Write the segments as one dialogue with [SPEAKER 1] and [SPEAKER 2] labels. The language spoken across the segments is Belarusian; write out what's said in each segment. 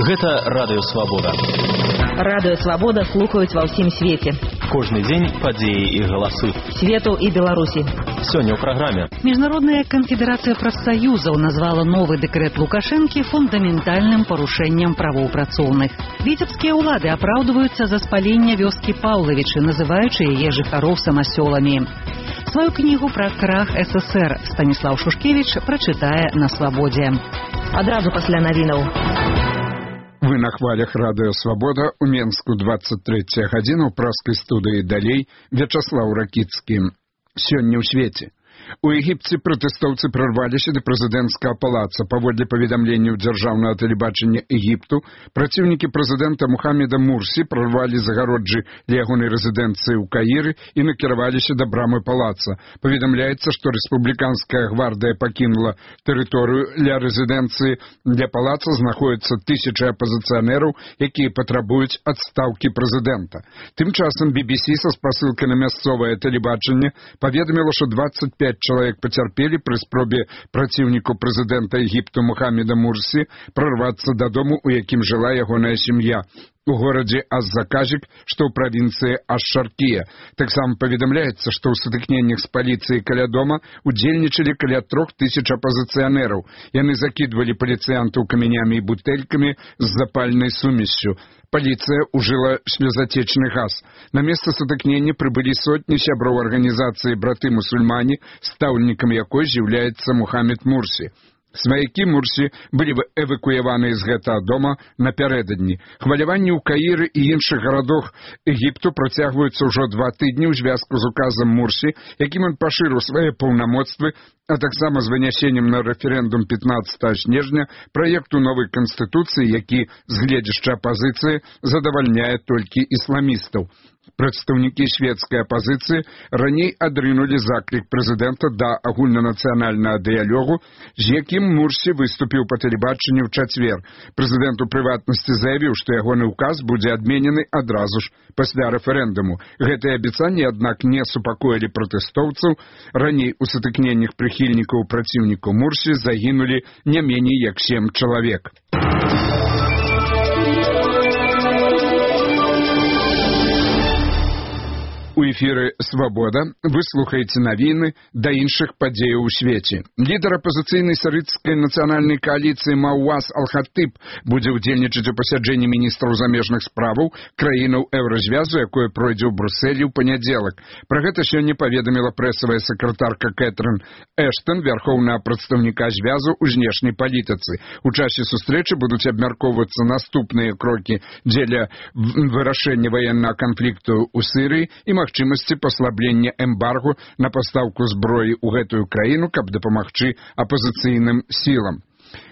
[SPEAKER 1] Гэта Радыё Свабода.
[SPEAKER 2] Радыё Свабода слухаюць ва ўсім свеце.
[SPEAKER 1] Кожны дзень падзеі і галасы.
[SPEAKER 2] Свету і Беларусі.
[SPEAKER 1] Сёння ў праграме.
[SPEAKER 3] Міжнародная канфедэрацыя прафсаюзаў назвала новы дэкрэт Лукашэнкі фундаментальным парушэннем правоў працоўных. Віцебскія ўлады апраўдваюцца за спаленне вёскі Паўлавічы, называючы яе жыхароў самасёламі. Сваю кнігу пра крах СССР Станіслаў Шушкевіч прачытае на Свабодзе.
[SPEAKER 2] Адразу пасля навінаў.
[SPEAKER 4] Вы на хвалях Радыё Свабода, у Менску 23 гадзіна, у праскай студыі далей Вячаслаў Ракіцкі. Сёння ў свеце. У Егіпце пратэстоўцы прарваліся да прэзідэнцкага палаца. Паводле паведамленняў дзяржаўнага тэлебачання Егіпту, праціўнікі прэзідэнта Мухаммеда Мурсі прарвалі загароджы для ягонай рэзідэнцыі ў Каіры і накіраваліся да брамы палаца. Паведамляецца, што рэспубліканская гвардыя пакінула тэрыторыю для рэзідэнцыі. Для палаца знаходзяцца тысячы апазіцыянераў, якія патрабуюць адстаўкі прэзідэнта. Тым часам BBC са спасылкай на мясцовае тэлебачанне паведаміла, што 25 чалавек пацярпелі пры спробе праціўніку прэзідэнта Егіпту Мухаммеда Мурсі прарвацца дадому, у якім жыла ягоная сям'я. У горадзе Аз-Заказік, што ў правінцыі Аш-Шаркія. Таксама паведамляецца, што ў сутыкненнях з паліцыяй каля дома удзельнічалі каля 3000 апазіцыянераў. Яны закідвалі паліцыянтаў камянямі і бутэлькамі з запальнай сумессю. Паліцыя ўжыла слезатечны газ. На месца сутыкнення прыбылі сотні сяброў арганізацыі «Браты-мусульмане», стаўнікам якой з'яўляецца Мухаммед Мурсі. Сваякі Мурсі былі эвакуяваныя з гэтага дома напярэдадні. Хваляванні ў Каіры і іншых гарадах Егіпту працягваюцца ўжо 2 тыдні ў звязку з указам Мурсі, якім ён пашырыў свае паўнамоцтвы, а таксама з вынясеннем на рэферэндум 15 снежня праекту новай канстытуцыі, які з гледзяшча апазіцыі задавальняе толькі ісламістаў. Прадстаўнікі шведскай апазіцыі раней адрынулі заклік прэзідэнта да агульнанацыянальнага дыялогу, з якім Мурсі выступіў па тэлебачанню ў чацвер. Прэзідэнт у прыватнасці заявіў, што ягоны ўказ будзе адменены адразу ж пасля рэферэндуму. Гэтыя абяцанні, аднак, не супакоілі пратэстоўцаў. Раней у сутыкненнях прыхільнікаў праціўніку Мурсі загінулі не меней як 7 чалавек. У эфіры «Свабода» вы слухаеце навіны да іншых падзеяў у свеце. Лідар апазіцыйнай сарыцкай нацыянальнай кааліцыі Мауаз Ал-Хатыб будзе ўдзельнічаць у пасяджэнні міністраў замежных справаў краінаў еўразвязу, якое пройдзе ў Брусэлі ў панядзелак. Пра гэта сёння паведаміла прэсавая сакратарка Кэтрын Эштон, вярхоўнага прадстаўніка звязу ў знешняй палітыцы. У часе сустрэчы будуць абмяркоўвацца наступныя крокі дзеля вырашэння ваеннага канфлікту ў Сірыі і магчымасці паслаблення эмбаргу на пастаўку зброі ў гэтую краіну, каб дапамагчы апазіцыйным сілам.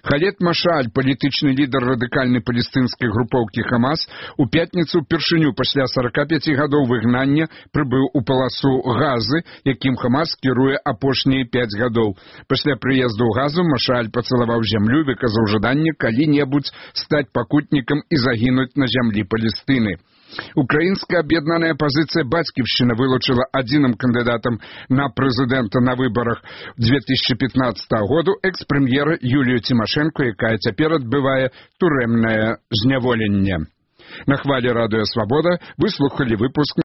[SPEAKER 4] Халед Машаль, палітычны лідар радыкальнай палестынскай групоўкі Хамас, у пятніцу ўпершыню пасля 45 гадоў выгнання прыбыў у паласу Газы, якім Хамас кіруе апошнія 5 гадоў. Пасля прыезду ў Газу Машаль пацалаваў зямлю, выказаў жаданне калі-небудзь стаць пакутнікам і загінуць на зямлі Палестыны. Украінская аб'яднаная апазіцыя «Бацьківшчына» вылучыла адзіным кандыдатам на прэзідэнта на выбарах 2015 году экс-прэм'ера Юлію Цімашэнку, якая цяпер адбывае турэмнае зняволенне. На хвалі Радыё Свабода вы слухалі выпуск